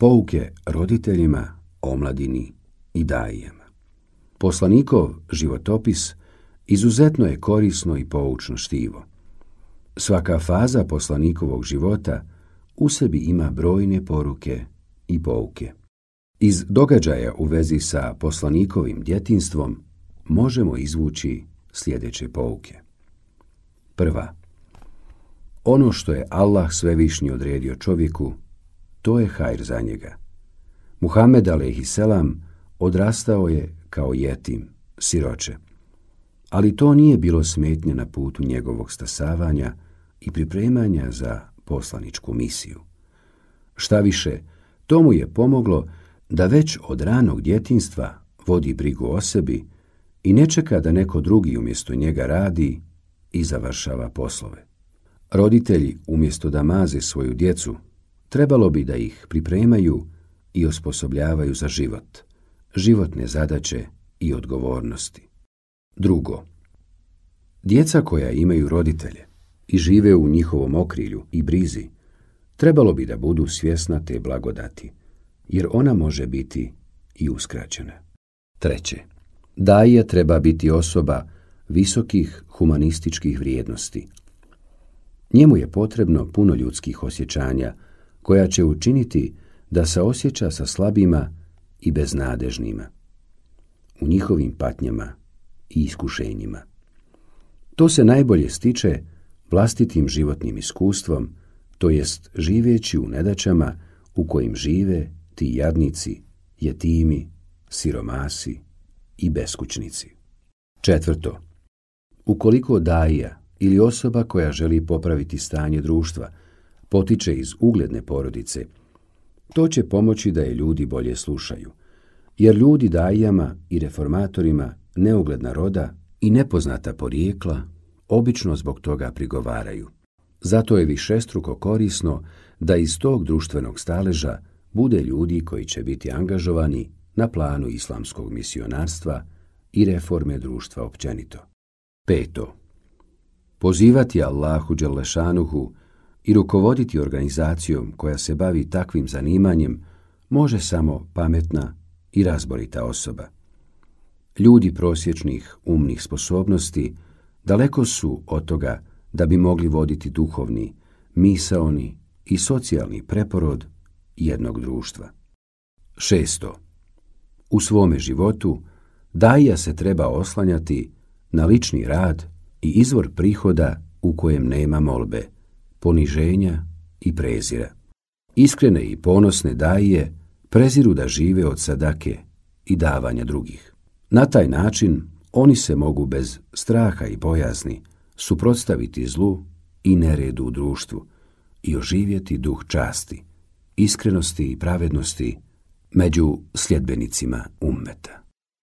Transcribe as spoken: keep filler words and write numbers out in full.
Pouke roditeljima, omladini i dajijama. Poslanikov životopis izuzetno je korisno i poučno štivo. Svaka faza poslanikovog života u sebi ima brojne poruke i pouke. Iz događaja u vezi sa poslanikovim djetinjstvom možemo izvući sljedeće pouke. Prva. Ono što je Allah svevišnji odredio čovjeku, to je hajr za njega. Muhammed alejhiselam odrastao je kao jetim, siroče, ali to nije bilo smetnje na putu njegovog stasavanja i pripremanja za poslaničku misiju. Šta više, to mu je pomoglo da već od ranog djetinjstva vodi brigu o sebi i ne čeka da neko drugi umjesto njega radi i završava poslove. Roditelji, umjesto da maze svoju djecu, trebalo bi da ih pripremaju i osposobljavaju za život, životne zadaće i odgovornosti. Drugo, djeca koja imaju roditelje i žive u njihovom okrilju i brizi, trebalo bi da budu svjesna te blagodati, jer ona može biti i uskraćena. Treće, dajija treba biti osoba visokih humanističkih vrijednosti. Njemu je potrebno puno ljudskih osjećanja, koja će učiniti da se osjeća sa slabima i beznadežnima, u njihovim patnjama i iskušenjima. To se najbolje stiče vlastitim životnim iskustvom, to jest živeći u nedaćama u kojim žive ti jadnici, jetimi, siromasi i beskućnici. Četvrto, ukoliko dajija ili osoba koja želi popraviti stanje društva potiče iz ugledne porodice, to će pomoći da je ljudi bolje slušaju, jer ljudi dajijama i reformatorima neugledna roda i nepoznata porijekla obično zbog toga prigovaraju. Zato je višestruko korisno da iz tog društvenog staleža bude ljudi koji će biti angažovani na planu islamskog misionarstva i reforme društva općenito. Peto, pozivati Allahu dželešanuhu i rukovoditi organizacijom koja se bavi takvim zanimanjem može samo pametna i razborita osoba. Ljudi prosječnih umnih sposobnosti daleko su od toga da bi mogli voditi duhovni, misaoni i socijalni preporod jednog društva. Šesto, u svome životu dajija se treba oslanjati na lični rad i izvor prihoda u kojem nema molbe, poniženja i prezira. Iskrene i ponosne dajije preziru da žive od sadake i davanja drugih. Na taj način oni se mogu bez straha i bojazni suprotstaviti zlu i neredu u društvu i oživjeti duh časti, iskrenosti i pravednosti među sljedbenicima ummeta.